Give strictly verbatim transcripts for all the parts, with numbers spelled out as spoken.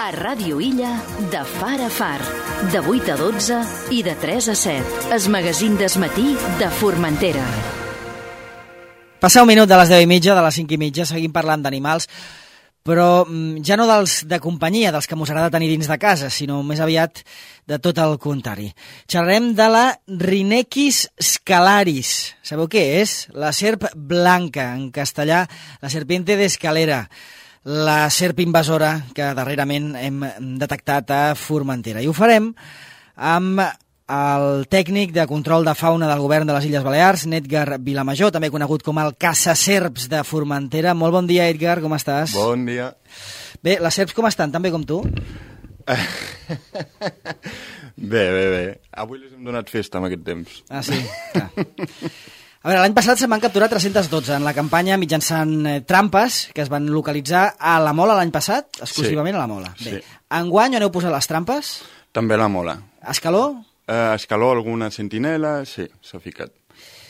A Ràdio Illa, de far a far, de vuit a dotze i de tres a set. Es magazín d'esmatí de Formentera. Passa un minut de les deu i mitja, de les cinc i mitja, seguim parlant d'animals, però ja no dels de companyia, dels que mos agrada tenir dins de casa, sinó més aviat de tot el contrari. Xerrem de la Rhinechis scalaris. Sabeu què és? La serp blanca, en castellà, la serpiente de escalera, la serp invasora que darrerament hem detectat a Formentera. I ho farem amb el tècnic de control de fauna del govern de les Illes Balears, Edgar Vilamajor, també conegut com el caçaserps de Formentera. Molt bon dia, Edgar, com estàs? Bon dia. Bé, les serps com estan? Tan bé com tu? Bé, bé, bé. Avui les hem donat festa amb aquest temps. Ah, sí? Clar. A veure, l'any passat se'n van capturar tres-cents dotze en la campanya mitjançant eh, trampes que es van localitzar a la Mola l'any passat, exclusivament sí. a la Mola. Bé, sí. Enguany on heu posat les trampes? També a la Mola. Escaló? Uh, escaló, alguna sentinela, sí, s'ha ficat.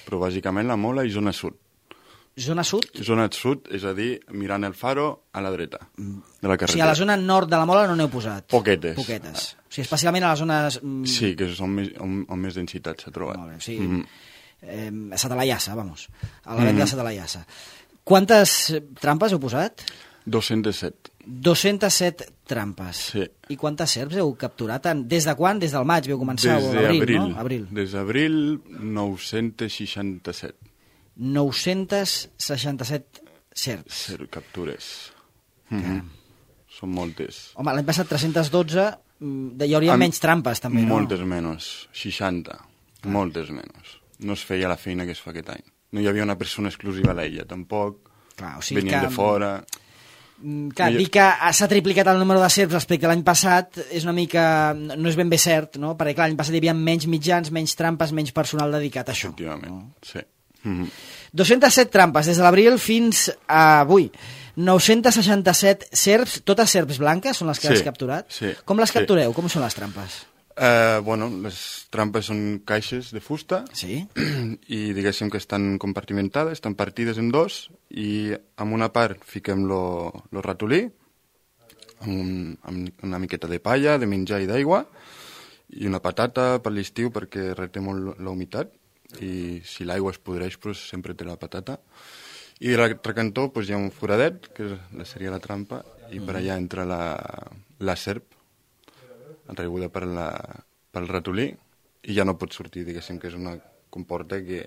Però bàsicament la Mola i zona sud. Zona sud? Zona sud, és a dir, mirant el faro a la dreta de la carretera. O sigui, a la zona nord de la Mola no n'heu posat? Poquetes. Poquetes. O sigui, especialment a les zones... Sí, que és on més, on, on més densitat s'ha trobat. Molt bé, o sigui, mm. eh, a Sata la Llassa, vamos, a la venda mm. de Sata la Llassa. Quantes trampes heu posat? dos-cents set. dos-cents set trampes. Sí. I quantes serps heu capturat? Des de quan? Des del maig veu començar? Des o l'abril, d'abril. No? Abril. Des d'abril, nou-cents seixanta-set. nou-cents seixanta-set serps. Serp captures. Mm-hmm. Són moltes. Home, l'any passat tres-cents dotze, hi hauria Am... menys trampes, també, no? Moltes menys, seixanta. Ah. Moltes menys. No es feia la feina que es fa aquest any. No hi havia una persona exclusiva a l'illa, tampoc. Clar, o sigui venien que... de fora... Clar, dir que s'ha triplicat el número de serps respecte a l'any passat és una mica... no és ben bé cert, no? Perquè clar, l'any passat hi havia menys mitjans, menys trampes, menys personal dedicat a això. Efectivament, no? sí. Mm-hmm. dos-cents set trampes des de l'abril fins a avui. nou-cents seixanta-set serps, totes serps blanques són les que sí, has capturat? Sí. Com les sí. captureu? Com són les trampes? Uh, bueno, les trampes són caixes de fusta sí. i diguéssim que estan compartimentades, estan partides en dos i en una part fiquem lo, lo ratolí amb, un, amb una miqueta de palla, de menjar i d'aigua i una patata per l'estiu perquè reté molt la humitat i si l'aigua es podreix pues, sempre té la patata i de l'altre cantó pues, hi ha un foradet que seria la trampa i per allà entra la, la serp atraguda per la, pel ratolí i ja no pot sortir, diguéssim que és una comporta que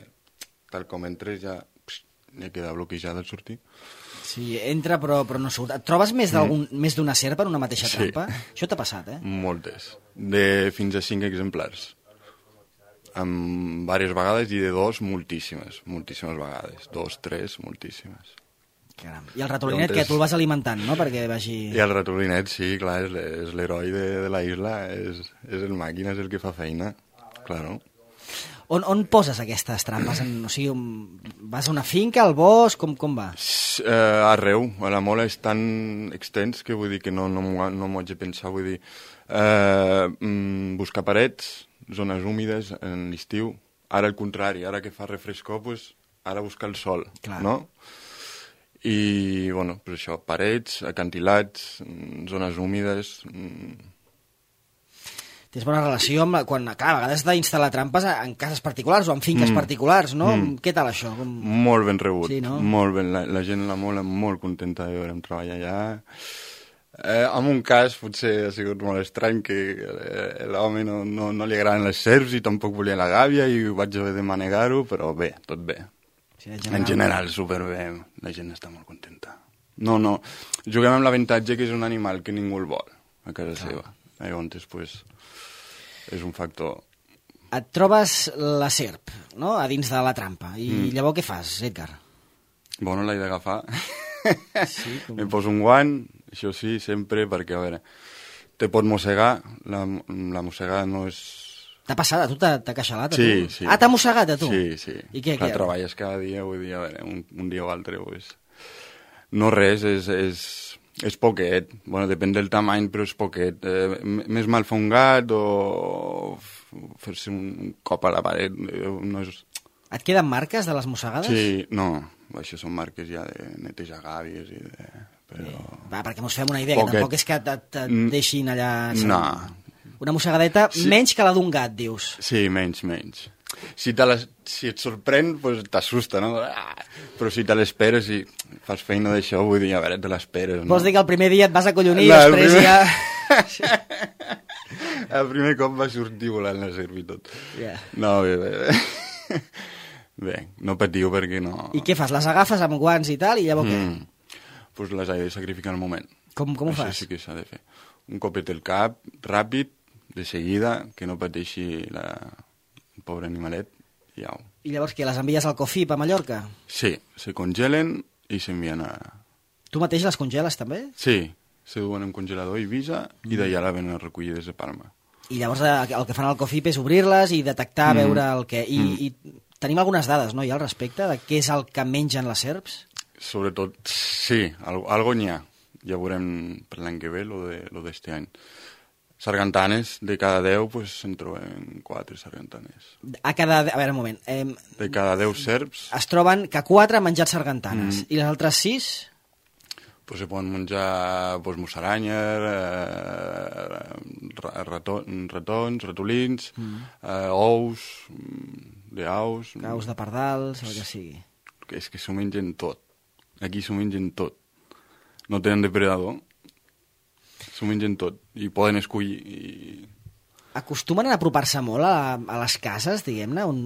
tal com entres ja, pss, ja queda bloquejada al sortir. Sí, entra però, però no surt. Et trobes més d'algun mm. més d'una serp en una mateixa sí. trampa? Això t'ha passat, eh? Moltes. De fins a cinc exemplars. Amb diverses vegades i de dos moltíssimes, moltíssimes vegades. Dos, tres, moltíssimes. Caram. I el ratolinet, que tu el vas alimentant, no?, perquè vagi... I el ratolinet, sí, clar, és, és l'heroi de, de la isla, és, és el màquina, és el que fa feina, claro. On, on poses aquestes trampes? En, o sigui, vas a una finca, al bosc, com, com va? Uh, arreu, a la Mola és tan extens que vull dir que no, no m'ho no haig de pensar, vull dir, uh, mm, buscar parets, zones húmides en l'estiu, ara al contrari, ara que fa refrescor, pues, ara buscar el sol, clar. No? I, bueno, pues això, parets, acantilats, zones húmides... Tens bona relació amb... La, quan, clar, a vegades has d'instal·lar trampes en cases particulars o en finques mm. particulars, no? Mm. Què tal això? Com... Molt ben rebut, sí, no? Molt ben. La, la gent la Mola molt contenta de veure'm treballar allà. Eh, en un cas potser ha sigut molt estrany que eh, l'home no, no, no li agraden les serps i tampoc volia la gàbia i vaig haver de manegar-ho, però bé, tot bé. Sí, en general, en general superbé, la gent està molt contenta. No, no, juguem amb l'avantatge que és un animal que ningú el vol a casa clar. Seva. Llavors, pues, és un factor... Et trobes la serp, no?, a dins de la trampa, i mm. llavors què fas, Edgar? Bueno, l'he d'agafar. Sí, com... Em poso un guant, això sí, sempre, perquè, a veure, te pot mossegar, la, la mossegada no és... T'ha passat? A tu t'ha queixalat? A sí, tu? sí. Ah, t'ha mossegat a tu? Sí, sí. I què? Clar, què? Treballes cada dia, vull dir, a veure, un, un dia o altre, pues... No res, és, és, és poquet. Bueno, depèn del tamany, però és poquet. Eh, més mal fa un gat o fer-se un cop a la paret. No és... Et queden marques de les mossegades? Sí, no. Això són marques ja de netejar gàbies i de Però... Va, perquè mos fem una idea, Poquet. Que tampoc és que et, et deixin allà... No. Una mossegadeta sí. Menys que la d'un gat, dius. Sí, menys, menys. Si, te les, si et sorprèn, pues, t'assusta, no? Ah! Però si te l'esperes i fas feina d'això, vull dir, a veure, te l'esperes, no? Vols dir que el primer dia et vas acollonir no, i després primer... ja... El primer cop va sortir volant la serp i tot. Yeah. No, bé, bé, bé. Bé, no patiu perquè no... I què fas? Les agafes amb guants i tal, i llavors mm. què? Doncs pues les he de sacrificar al moment. Com, com ho Això fas? sí que s'ha de fer. Un copet al cap, ràpid, de seguida, que no pateixi la... el pobre animalet, i au. I llavors què, les envies al Cofip a Mallorca? Sí, se congelen i s'envien a... Tu mateix les congeles també? Sí, se duen en congelador i Ibiza mm. i d'allà la venen recollides a Palma. I llavors el que fan al Cofip és obrir-les i detectar, mm. veure el que... I, mm. i tenim algunes dades, no?, ja al respecte de què és el que mengen les serps? Sobretot, sí, algo, algo n'hi ha. Ja veurem per l'any que ve, lo d'este any. Sargantanes, de cada deu, pues, se'n troben quatre sargantanes. A cada... A veure, un moment. Eh, de cada deu serps... Es troben que quatre han menjat sargantanes. Mm. I les altres sis? Pues se poden menjar pues, musaranyes, eh, raton, ratons, ratolins, mm. eh, ous, d'aus... Aus de pardals, el que sigui. És que s'ho mengen tot. Aquí s'ho mengen tot. No tenen depredador. S'ho mengen tot. I poden escollir... I... Acostumen a apropar-se molt a, a les cases, diguem-ne, on,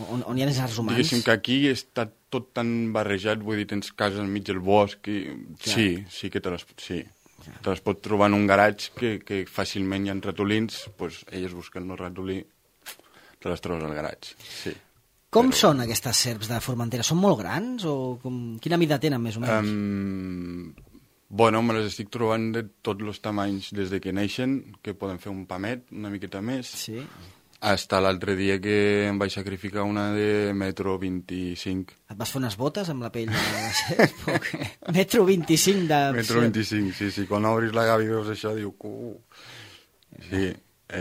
on, on hi ha éssers humans? Diguéssim que aquí està tot tan barrejat, vull dir, tens cases enmig del bosc, i... sí, sí que te les, sí. Ja. Te les pot trobar en un garatge que, que fàcilment hi ha ratolins, doncs elles busquen el ratolí, te les trobes al garatge, sí. Com Però... són aquestes serps de Formentera? Són molt grans o com... quina mida tenen, més o menys? Um, bueno, me les estic trobant de tots els tamanys des de que neixen, que poden fer un pamet, una miqueta més. Sí. Hasta l'altre dia que em vaig sacrificar una de metro vint-i-cinc. Et vas fer unes botes amb la pell de la serp? metro vint-i-cinc de... Metro vint-i-cinc, sí, sí. Quan obris la gavi veus això, diu... Uh. Sí,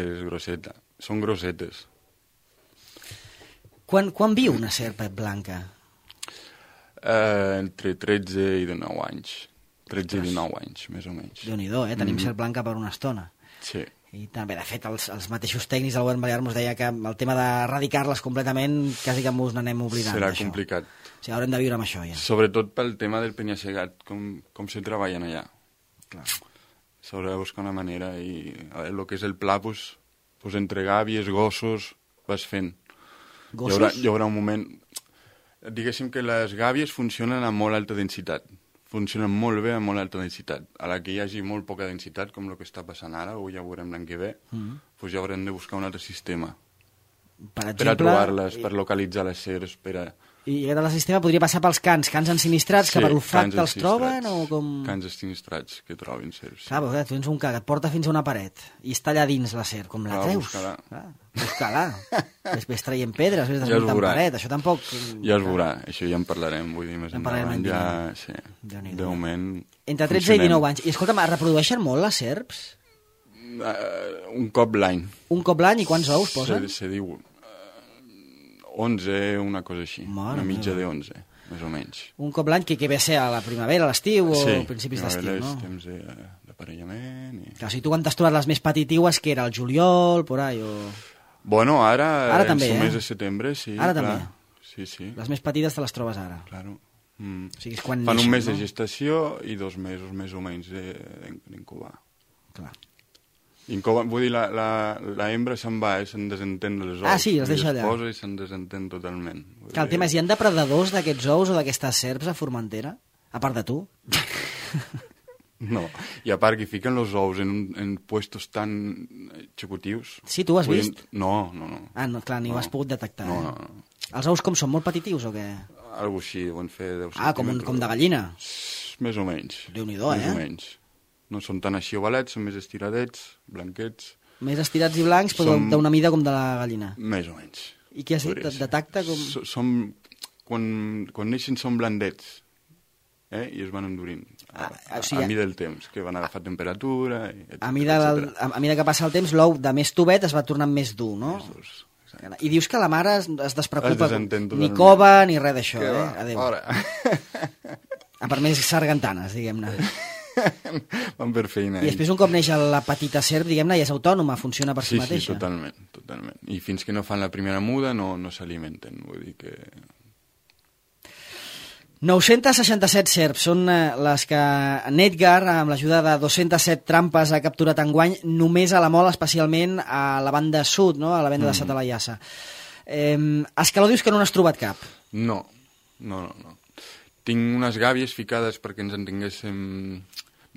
és grosseta. Són grossetes. Quan, quan viu una serp blanca? Uh, entre tretze i dinou anys. tretze i dinou anys, més o menys. Déu-n'hi-do, eh? Tenim mm. serp blanca per una estona. Sí. I també, de fet, els, els mateixos tècnics del govern balear ens deia que el tema d'erradicar-les completament quasi que ens n'anem oblidant. Serà complicat. O sigui, haurem de viure amb això, ja. Sobretot pel tema del penya-segat, com, com se treballen allà. Clar. S'haurà de buscar una manera i a veure, el que és el pla, pues, pues entre gàbies, gossos, vas fent. Gossos? Hi haurà, hi haurà un moment... Diguéssim que les gàbies funcionen a molt alta densitat. Funcionen molt bé a molt alta densitat. A la que hi hagi molt poca densitat, com el que està passant ara, o ja ho veurem l'any que ve, mm. pues ja haurem de buscar un altre sistema. Per exemple... Per a trobar-les, per localitzar les serps, per a... I aquest sistema podria passar pels cans, cans ensinistrats, sí, que per olfacte els troben, o com... Cans ensinistrats que trobin serps. Clar, però tu tens un ca que et porta fins a una paret i està allà dins la serp, com la Clar, treus? Buscar-la. Clar, buscar-la. Després traient pedres, després desmuntant ja paret, això tampoc... Ja es veurà, això ja en parlarem, vull dir, més en endavant, ja... Sí, de moment... Entre tretze i dinou anys. I escolta'm, es reprodueixen molt les serps? Uh, un cop l'any. Un cop l'any i quants ous posen? Se, se diu... onze, una cosa així, Mare una mitja de onze, més o menys. Un cop l'any que, que ve a ser a la primavera, a l'estiu o sí, principis d'estiu, no? Sí, temps d'aparellament. I... Clar, o sigui, tu quan t'has trobat les més petitiues, que era el juliol, por ahí, o... Bueno, ara, ara també, el eh? mes de setembre, sí. Ara clar. també? Sí, sí. Les més petites te les trobes ara? Claro. Mm. O sigui, és quan Fan neixen, un mes no? de gestació i dos mesos més o menys d'incubar. Clar. Incoba, vull dir, la, la, la hembra se'n va, eh, se'n desentén dels ous. Ah, sí, els deixa allà. I es posa i se'n desentén totalment. Clar, el tema és, hi ha depredadors d'aquests ous o d'aquestes serps a Formentera? A part de tu? No, i a part que fiquen els ous en, un, en puestos tan xicutius... Sí, tu ho has vull vist? dir, no, no, no. Ah, no, clar, ni no. ho has pogut detectar. No, eh? no, no. Els ous com són, molt petitius o què? Algo així, deuen fer deu Ah, com, un, com de gallina? Més o menys. Déu-n'hi-do, eh? Més o menys. No són tan així ovalets, són més estiradets, blanquets... Més estirats i blancs, però som... d'una mida com de la gallina. Més o menys. I què has dit? De tacte com... S som... Quan, quan neixen són blandets, eh? I es van endurint. A, ah, o sigui, a, a mida del temps, que van agafar temperatura... Etcètera, a, mida del, a, a mida que passa el temps, l'ou de més tovet es va tornant més dur, no? Més durs. Exacte. I dius que la mare es, es despreocupa, es ni cova ni res d'això, eh? Adéu. A part més sargantanes, diguem-ne. Van per feina. I després un cop neix la petita serp, diguem-ne, ja és autònoma, funciona per si sí, mateixa. Sí, totalment, totalment. I fins que no fan la primera muda no, no s'alimenten, vull dir que... nou-cents seixanta-set serps són les que Nedgar, amb l'ajuda de dos-centes set trampes, ha capturat enguany només a la Mola, especialment a la banda sud, no? A la venda mm. de Satalayassa. Eh, Escaló dius que no n'has trobat cap? No, no, no, no. Tinc unes gàbies ficades perquè ens entenguéssim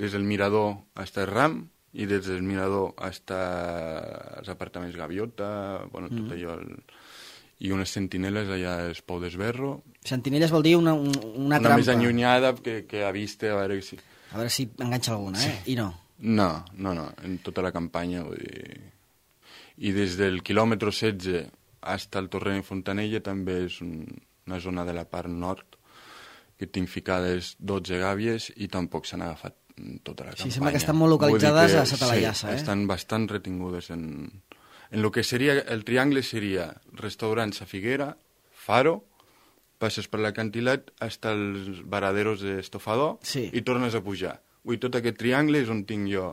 des del mirador fins al ram i des del mirador fins als apartaments Gaviota, bueno, tot mm. allò... El... I unes sentinelles allà al Pou d'Esberro. Sentinelles vol dir una, una, una trampa. Una més allunyada que, que a vista, a veure si... A veure si enganxa alguna, eh? Sí. I no. No, no, no, en tota la campanya, vull dir... I des del quilòmetre setze fins al Torrent de Fontanella també és un, una zona de la part nord que tinc ficades dotze gàbies i tampoc s'han agafat tota la campanya. Sí, sembla que estan molt localitzades que, a Satalayassa, sí, eh? estan bastant retingudes en... En lo que seria, el triangle seria restaurants a Figuera, Faro, passes per l'acantilat fins als varaderos d'Estofador sí. i tornes a pujar. Ui, tot aquest triangle és on tinc jo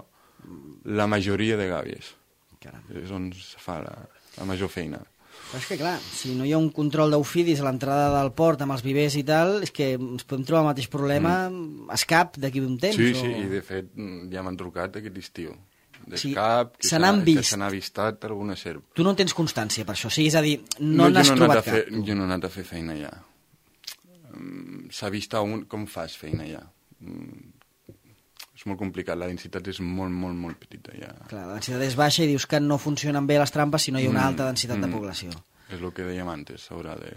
la majoria de gàbies. Caram. És on es fa la, la major feina. Però és que, clar, si no hi ha un control d'eufidis a l'entrada del port amb els vivers i tal, és que ens podem trobar el mateix problema mm. escap d'aquí d'un temps. Sí, o... sí, i de fet ja m'han trucat aquest estiu. Sí, D'escap, que se n'ha avistat alguna serp. Tu no en tens constància per això, o sigui, és a dir, no, no n'has no trobat fer, cap. Jo no he anat a fer feina ja. S'ha vist un... com fas feina ja. És molt complicat, la densitat és molt, molt, molt petita ja. Clar, la densitat és baixa i dius que no funcionen bé les trampes si no hi ha una alta densitat mm, de població. És el que dèiem antes, s'haurà de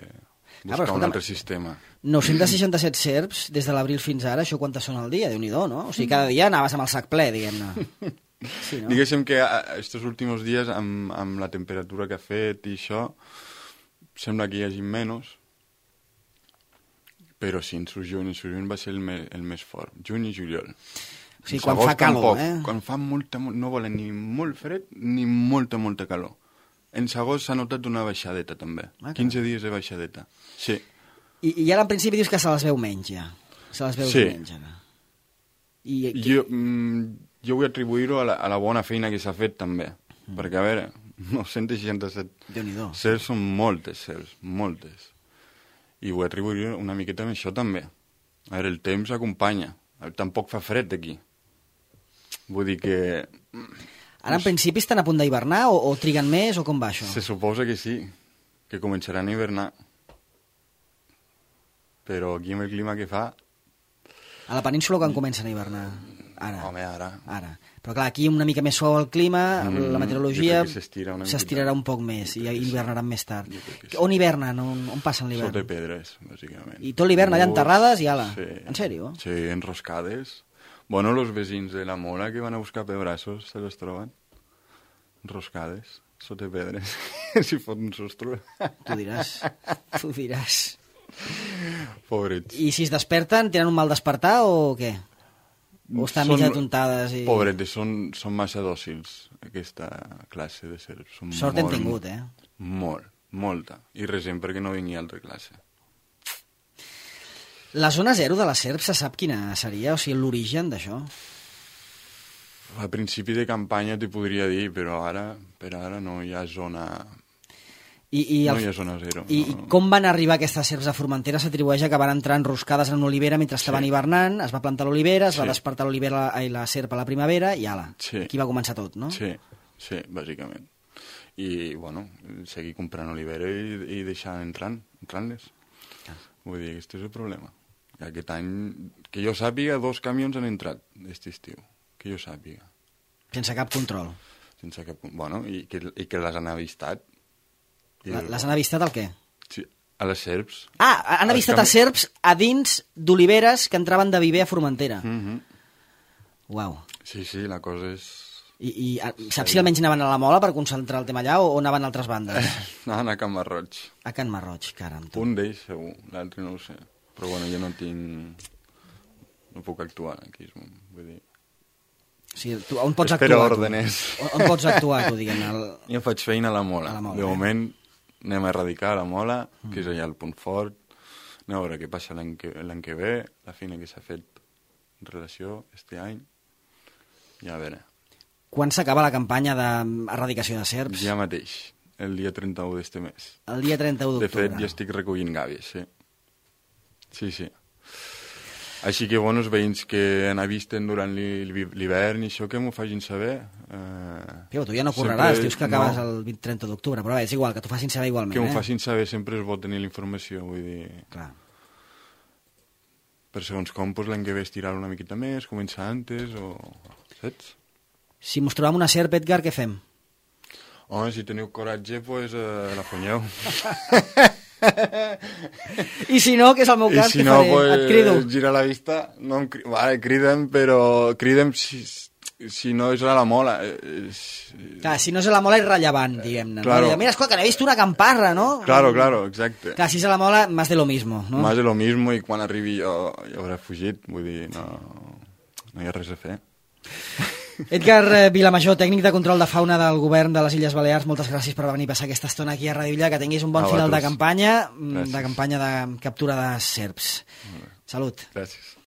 buscar ah, un altre sistema. nou-cents seixanta-set serps des de l'abril fins ara, això quantes són al dia? Déu-n'hi-do, no? O sigui, cada dia anaves amb el sac ple, diguem-ne. Sí, no? Diguéssim que aquests últims dies, amb, amb la temperatura que ha fet i això, sembla que hi hagi menys, però sí, en juny, en juny va ser el més, el més fort, juny i juliol. O sigui, quan fa calor, tampoc, eh? Quan fa molta, no volen ni molt fred ni molta, molta calor. En agost s'ha notat una baixadeta, també. Ah, quinze dies de baixadeta, sí. I, i ara, en principi, dius que se les veu menys, ja. Se les veu sí. menys, ara. I, jo, mm, jo vull atribuir-ho a, la, a la bona feina que s'ha fet, també. Mm. Perquè, a veure, nou-cents seixanta-set serps són moltes serps, moltes. I vull atribuir una miqueta amb això, també. A veure, el temps acompanya. Tampoc fa fred d'aquí. Vull dir que... Ara, en principi, estan a punt d'hivernar o, o triguen més o com va això? Se suposa que sí, que començaran a hivernar. Però aquí amb el clima que fa... A la península quan comencen a hivernar? Ara. Home, ara. Ara. Però clar, aquí una mica més suau el clima, mm, la meteorologia s'estirarà un poc més i hivernaran més tard. Sí. On hivernen? On, on passen l'hivern? Sota pedres, bàsicament. I tot l'hivern allà enterrades i ala? Sí. En sèrio? Sí, enroscades. Bueno, los vecins de la Mola que van a buscar pebrassos se los troben enroscades, sota pedres. Si fot un sostre. Tu diràs, tu diràs. Pobrets. I si es desperten, tenen un mal despertar o què? O estan mig atontades? I... Pobretes, són, són massa dòcils, aquesta classe de serps. Són Sort molt, hem tingut, eh? Molt, molta. I resem perquè no vingui altra classe. La zona zero de la serp se sap quina seria? O sigui, l'origen d'això? A principi de campanya t'hi podria dir, però ara, per ara no hi ha zona... I, i el... No hi ha zona zero. I, no. I com van arribar aquestes serps a Formentera? S'atribueix a que van entrar enroscades en l'olivera mentre estaven sí. hivernant, es va plantar l'olivera, es sí. va despertar l'olivera i la serp a la primavera i ala, sí. aquí va començar tot, no? Sí, sí, bàsicament. I, bueno, seguir comprant olivera i, i deixar entrant, entrant-les. Ah. Vull dir, aquest és el problema. Aquest any, que jo sàpiga, dos camions han entrat aquest estiu, que jo sàpiga. Sense cap control? Sense cap... Bueno, i que, i que les han avistat. La, les han avistat el què? Sí, a les serps. Ah, han avistat cam... a serps a dins d'oliveres que entraven de viver a Formentera. Mm-hmm. Uau. Sí, sí, la cosa és... I, i saps si almenys anaven a la Mola per concentrar el tema allà o, o anaven a altres bandes? Anaven a Can Marroig. A Can Marroig, caram. Tu. Un d'ells, segur, l'altre no ho sé. Però bueno, jo no tinc... No puc actuar aquí, vull dir... O sigui, tu, on pots Espero actuar? òrdenes. On, on pots actuar, tu, diguem? El... Jo faig feina a la Mola. A la Mola de eh? moment anem a erradicar la Mola, mm. que és allà el punt fort. a veure què passa l'any que, l'any que ve, la feina que s'ha fet en relació este any, i a veure. Quan s'acaba la campanya d'erradicació de serps? Ja mateix, el dia trenta-u d'este mes. El dia trenta-u d'octubre. De fet, ja estic recollint gàbies, sí. Sí, sí. Així que, bueno, els veïns que han avisten durant l'hivern i això, que m'ho facin saber. Eh, Piu, tu ja no correràs, dius que acabes no. el trenta d'octubre, però bé, és igual, que t'ho facin saber igualment. Que m'ho eh? facin saber, sempre és bo tenir la informació, vull dir... Clar. Per segons com, doncs, l'any que ve estirar una miqueta més, començar antes, o... saps? Si mos trobam una serp, Edgar, què fem? Home, si teniu coratge, doncs pues, eh, la fonyeu. I si no, que és el meu cas, si què no, faré? Pues, et crido. Gira la vista, no em cri... vale, cridem, però cridem si, si no és a la mola. Clar, si no és a la mola és rellevant, diguem-ne. Claro. No? Mira, escolta, que n'he vist una camparra, no? Claro, claro, exacte. Clar, si és a la mola, más de lo mismo, no? Más de lo mismo, i quan arribi jo ja hauré fugit, vull dir, no, no hi ha res a fer. Edgar Vilamajor, tècnic de control de fauna del govern de les Illes Balears, moltes gràcies per venir a passar aquesta estona aquí a Radio Villa, que tinguis un bon a final vosaltres. de campanya, Gràcies. de campanya de captura de serps. Salut. Gràcies.